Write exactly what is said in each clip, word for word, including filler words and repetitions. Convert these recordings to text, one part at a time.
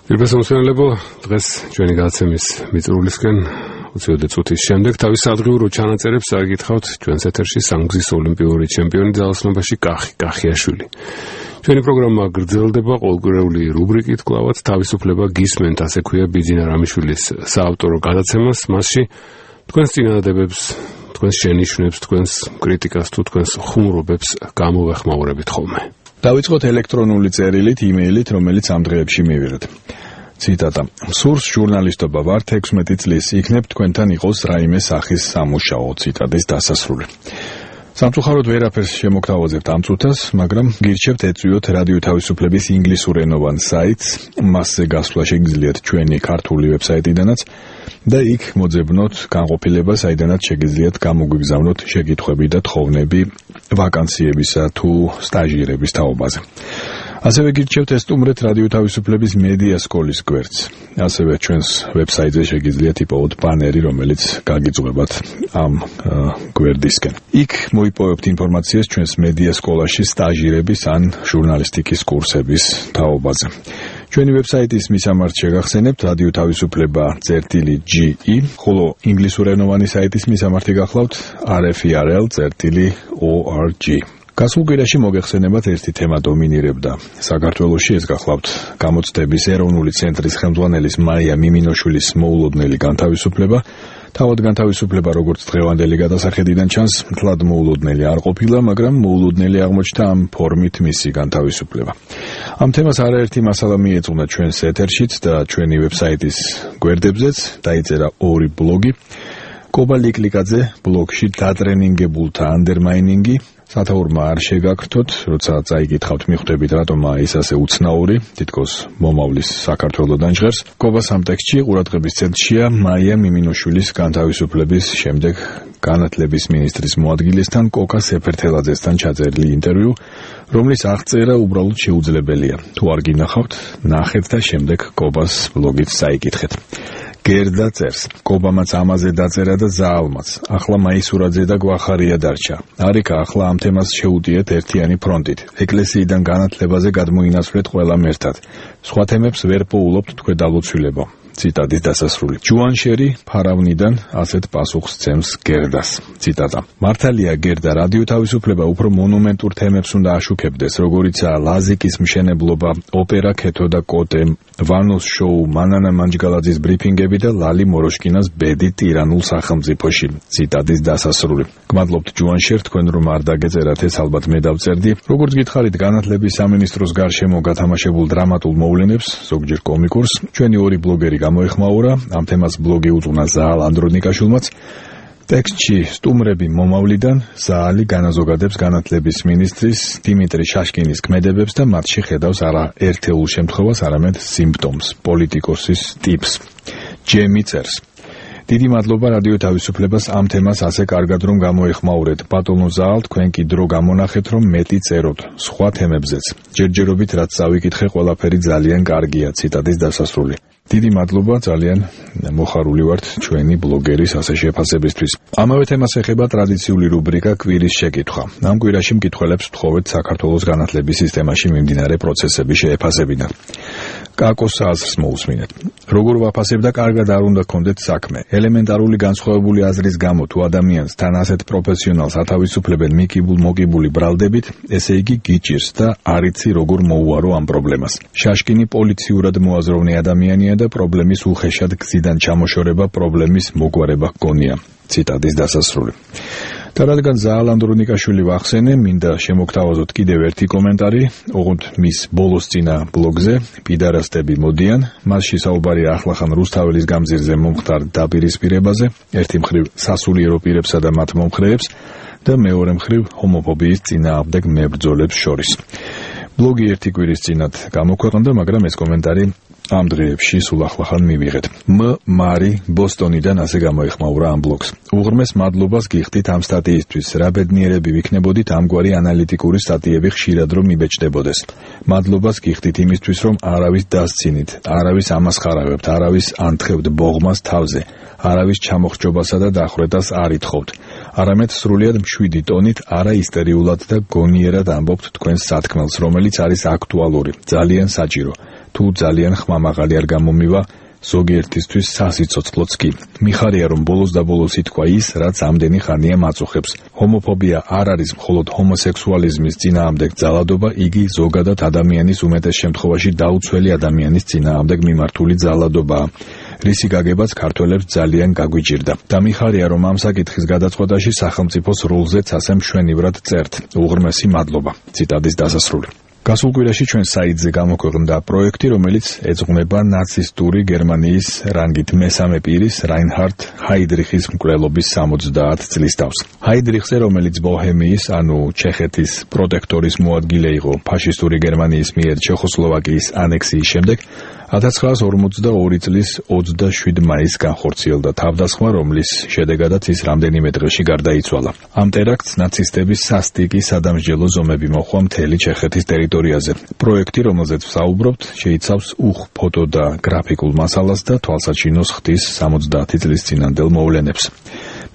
Ირბესამოსმენელებო, დღეს ჩვენი გადაცემის მიწურულისკენ ოცდაოთხ წუთის შემდეგ თავის სადღიურო ჩანაწერებს აგითხავთ ჩვენს ეთერში სამგზის ოლიმპიური ჩემპიონი ძალოსნობაში კახი კახიაშვილი. ჩვენი პროგრამა გრძელდება ყოველკვირეული რუბრიკით კლავაც თავისუფლება გისმენთ, ასე ქვია ბიძინა რამიშვილის საავტორო გადაცემას, მასში თქვენს წინადადებებს, თქვენს შენიშვნებს, თქვენს კრიტიკას თუ თქვენს ხუმრობებს გამოვეხმაურებით ხოლმე. დავიწყოთ ელექტრონული წერილით, იმეილით, რომელიც ამ დღეებში მივიღეთ. ციტატა: სურს ჟურნალისტობა ვარ თექვსმეტი წლის, იქნებ თქვენთან იყოს რაიმე სახის სამუშაო. ციტატის დასასრული. სამწუხაროდ ვერაფერს შემოგთავაზებთ ამ წუთას, მაგრამ გირჩევთ ეწვიოთ რადიო თავისუფლების ინგლისურენოვან საიტს, მასზე გასვლა შეგიძლიათ ჩვენი ქართული ვებსაიტიდანაც და იქ მოძებნოთ განყოფილება, საიდანაც შეგიძლიათ გამოგვიგზავნოთ შეკითხვები და თხოვნები ვაკანსიებისა თუ სტაჟირების თაობაზე. ასევე გირჩევთ ესტუმრეთ რადიო თავისუფლების მედია სკოლის გვერდს. ასევე ჩვენს ვებსაიტზე შეგიძლიათ იპოვოთ ბანერი, რომელიც გაგიძღვებათ ამ გვერდისკენ. იქ მოიპოვებთ ინფორმაციას ჩვენს მედია სკოლაში სტაჟირების ან ჟურნალისტიკის კურსების თაობაზე. ჩვენი ვებსაიტის მისამართ შეგახსენებთ რადიო თავისუფლება წერტილი ჯი ი, ხოლო ინგლისურენოვანი საიტის მისამართი გახლავთ არ ეფ ი არ ელ წერტილი ო არ ჯი. გასულ კვირაში მოგეხსენებათ ერთი თემა დომინირებდა საქართველოში, ეს გახლავთ გამოცდების ეროვნული ცენტრის ხელმძღვანელის მაია მიმინოშვილის მოულოდნელი განთავისუფლება. თავად განთავისუფლება, როგორც დღევანდელი გადასახედიდან ჩანს, მთლად მოულოდნელი არ ყოფილა, მაგრამ მოულოდნელი აღმოჩნდა ამ ფორმით მისი განთავისუფლება. ამ თემას არაერთი მასალა მიეძღვნა ჩვენს ეთერშიც და ჩვენი ვებსაიტის გვერდებზეც, დაიწერა ორი ბლოგი. კობა ლიკლიკაძე ბლოგში დატრენინგებულთა ანდერმაინინგი, სათაურმა არ შეგაქრთოთ, როცა წაიგითხავთ მიხვდებით რატომა ის ასე უცნაური, თითქოს მომავლის საქართველოდან ჟღერს. კობას ამ ტექსტში ყურადღების ცენტრშია მაია მიმინოშვილის განთავისუფლების შემდეგ განათლების მინისტრის მოადგილესთან კოკა სეფერთელაძესთან ჩაწერილი ინტერვიუ, რომლის აღწერა უბრალოდ შეუძლებელია. თუ არ გინახავთ, ნახეთ და შემდეგ კობას ბლოგით წაიკითხეთ. გერდა წერს: კობამაც ამაზე დაწერა და ზაალმაც. ახლა მაისურაძე და გვახარია დარჩა. არიქა, ახლა ამ თემას შეუტიეთ ერთიანი ფრონტით. ეკლესიიდან განათლებაზე გადმოინაცვლეთ ყველამ ერთად. სხვა თემებს ვერ პოულობთ თქვენ დალოცვილებო. ციტატის დასასრული. ჯუანშერი ფარავნიდან ასეთ პასუხს ცემს გერდას. ციტატა: მართალია გერდა, რადიო თავისუფლება უფრო მონუმენტურ თემებს უნდა აშუქებდეს, როგორიცაა ლაზიკის მშენებლობა, ოპერა ქეთო და კოტე, ვანოს შოუ, მანანა მანჯგალაძის ბრიფინგები და ლალი მოროშკინას ბედი ტირანულ სახელმწიფოში. ციტატის დასასრული. გმადლობთ ჯუანშერ, თქვენ რომ არ დაგეწერათ, ეს ალბათ მე დავწერდი. როგორც გითხარით განათლების სამინისტროს გარშემო გათამაშებულ დრამატულ მოვლენებს, ზოგჯერ კომიკურს, ჩვენი ორი ბლოგერი გამოეხმაურა, ამ თემას ბლოგი უძღვნა ზაალ ანდრონიკაშვილმაც. ტექსტში სტუმრები მომავლიდან ზაალი განაზოგადებს განათლების მინისტრის დიმიტრი შაშკინის ქმედებებს და მათში ხედავს არა ერთეულ შემთხვევას, არამედ სიმპტომს, პოლიტიკოსის ტიპს. ჯემი წერს: დიდი მადლობა რადიო თავისუფლებას ამ თემას ასე კარგად რომ გამოეხმაურეთ. ბატონო ზაალ, თქვენ კი დრო გამონახეთ რომ მეტი წეროთ სხვა თემებზეც. ჯერჯერობით რაც წავიკითხე, ყველაფერი ძალიან კარგია. ციტატის დასასრული. დიდი მადლობა, ძალიან მოხარული ვართ ჩვენი ბლოგერის ასე შეფასებისთვის. ამავე თემას ეხება ტრადიციული რუბრიკა კვირის შეკითხვა. ამ კვირაში მკითხველებს ვთხოვეთ საქართველოს განათლების სისტემაში მიმდინარე პროცესების შეფასებიდან. კაკოს აზრს მოусმინეთ. როგორ ვაფასებ და კარგად არ უნდა გქონდეთ საქმე. ელემენტარული განსხვავებული აზრის გამო თუ ადამიანს თან ასეთ პროფესიონალს ათავისუფლებენ მიკიბულ მოკიბული ბრალდებით, ესე იგი გიჭირს და არ იცი როგორ მოუარო ამ პრობლემას. შაშკინი პოლიციურად მოაზროვნე ადამიანია და პრობლემის უხეშად გზიდან ჩამოშორება პრობლემის მოგვარება გონია. ციტატის დასასრული. და რადგან ზაალ ანდრონიკაშვილი ვახსენე, მინდა შემოგთავაზოთ კიდევ ერთი კომენტარი, ოღონდ მის ბოლოსწინა ბლოგზე პიდარასტები მოდიან. მასში საუბარია ახლახან რუსთაველის გამზირზე მომხდარ დაპირისპირებაზე, ერთი მხრივ სასულიერო პირებსა და მათ მომხრეებს და მეორე მხრივ ჰომოფობიის წინააღმდეგ მებრძოლებს შორის. ბლოგი ერთი კვირის წინათ გამოქვეყნდა, მაგრამ ეს კომენტარი ამ დღეებში სულ ახლახან მივიღეთ. მ მარი ბოსტონიდან ასე გამოეხმაურა ამ ბლოგს. უღრმეს მადლობას გიხდით ამ სტატიისთვის. რა ბედნიერები ვიქნებოდით ამგვარი ანალიტიკური სტატიები ხშირად რომ მიბეჭდებოდეს. მადლობას გიხდით იმისთვის, რომ არავის დასცინით, არავის ამასხარავებთ, არავის ანთხევთ ბოღმას თავზე, არავის ჩამოხრჯობასა და დახვრეტას არ ითხოვთ. არამედ სრულიად მშვიდი ტონით, არა ისტერიულად და გონიერად ამბობთ თქვენს სათქმელს, რომელიც არის აქტუალური, ძალიან საჭირო. თუ ძალიან ხმამაღალი არ გამომივა, ზოგიერთისთვის სასიცოცხლოც კი. მიხარია, რომ ბოლოს და ბოლოს ითქვა ის, რაც ამდენი ხანია მაწუხებს. ჰომოფობია არ არის მხოლოდ ჰომოსექსუალიზმის წინააღმდეგ ძალადობა, იგი ზოგადად ადამიანის უმეტეს შემთხვევაში დაუცველი ადამიანის წინააღმდეგ მიმართული ძალადობაა. რისი გაგებაც ქართველებს ძალიან გაგვიჭირდა. და მიხარია, რომ ამ საკითხის გადაწყვეტაში სახელმწიფოს როლზეც ასე მშვენივრად წერთ. უღრმესი მადლობა. ციტატის დასასრული. გასულ კვირაში ჩვენ საიტზე გამოქვეყნდა პროექტი, რომელიც ეძღვნება ნაცისტური გერმანიის რანგით მესამე პირის რაინჰარდ ჰაიდრიხის მკვლელობის სამოცდაათ წლის თავს. ჰაიდრიხზე, რომელიც ბოჰემიის, ანუ ჩეხეთის პროტექტორის მოადგილე იყო ფაშისტური გერმანიის მიერ ჩეხოსლოვაკიის ანექსიის შემდეგ, ათას ცხრაას ორმოცდაორი წლის ოცდაშვიდ მაისს განხორციელდა თავდასხმა, რომლის შედეგადაც ის რამდენიმე დღეში გარდაიცვალა. ამ ტერაქტს ნაცისტების სასტიკი სადამსჯელო ზომები მოჰყვა მთელი ჩეხეთის ტერიტორიაზე. პროექტი, რომელზეც ვსაუბრობთ, შეიცავს უხ ფოტო და გრაფიკულ მასალას და თვალსაჩინოს ხდის სამოცდაათი წლის წინანდელ მოვლენებს.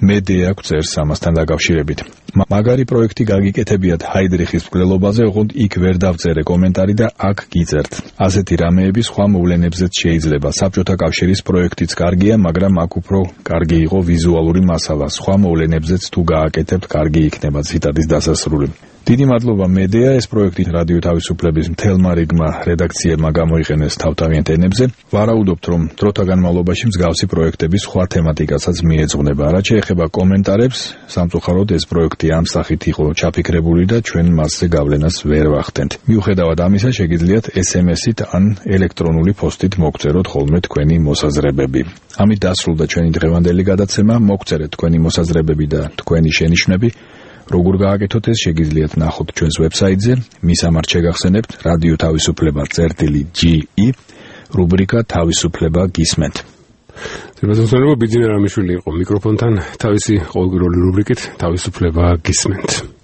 მედია გვწერს ამასთან დაკავშირებით. მაგარი პროექტი გაგიკეთებიათ ჰაიდრიხის მკვლელობაზე, ოღონდ იქ ვერ დავწერე კომენტარი და აქ გიწერთ. ასეთი რამეები სხვა მოვლენებზეც შეიძლება. საბჭოთა კავშირის პროექტიც კარგია, მაგრამ აქ უფრო კარგი იყო ვიზუალური მასალა. სხვა მოვლენებზეც თუ გააკეთებთ, კარგი იქნება. ციტატის დასასრული. დიდი მადლობა მედია, ეს პროექტი რადიო თავისუფლების მთელმა რიგმა რედაქციებმა გამოიყენეს თავთავიანთ ენებზე. ვარაუდობთ, რომ დროთა განმავლობაში მსგავსი პროექტების სხვა თემატიკასაც მიეძღვნება. რაც შეეხება კომენტარებს, სამწუხაროდ ეს პროექტი ამ სახით იყო ჩაფიქრებული და ჩვენ მასზე გავლენას ვერ ვახდენთ. მიუხედავად ამისა, შეგიძლიათ ეს ემ ესით ან ელექტრონული პოსტით მოგწეროთ ხოლმე თქვენი მოსაზრებები. ამით დასრულდა ჩვენი დღევანდელი გადაცემა. მოგწერეთ თქვენი მოსაზრებები და თქვენი შენიშვნები. როგორ გააკეთოთ ეს, შეგიძლიათ ნახოთ ჩვენს ვებსაიტზე. მისამართ შეგახსენებთ რადიო თავისუფლება წერტილი ჯი ი, რუბრიკა თავისუფლება გისმენთ. ზემოწმება ბიძინა რამიშვილი იყო მიკროფონთან, თავისი ყოველკვირეული რუბრიკით თავისუფლება გისმენთ.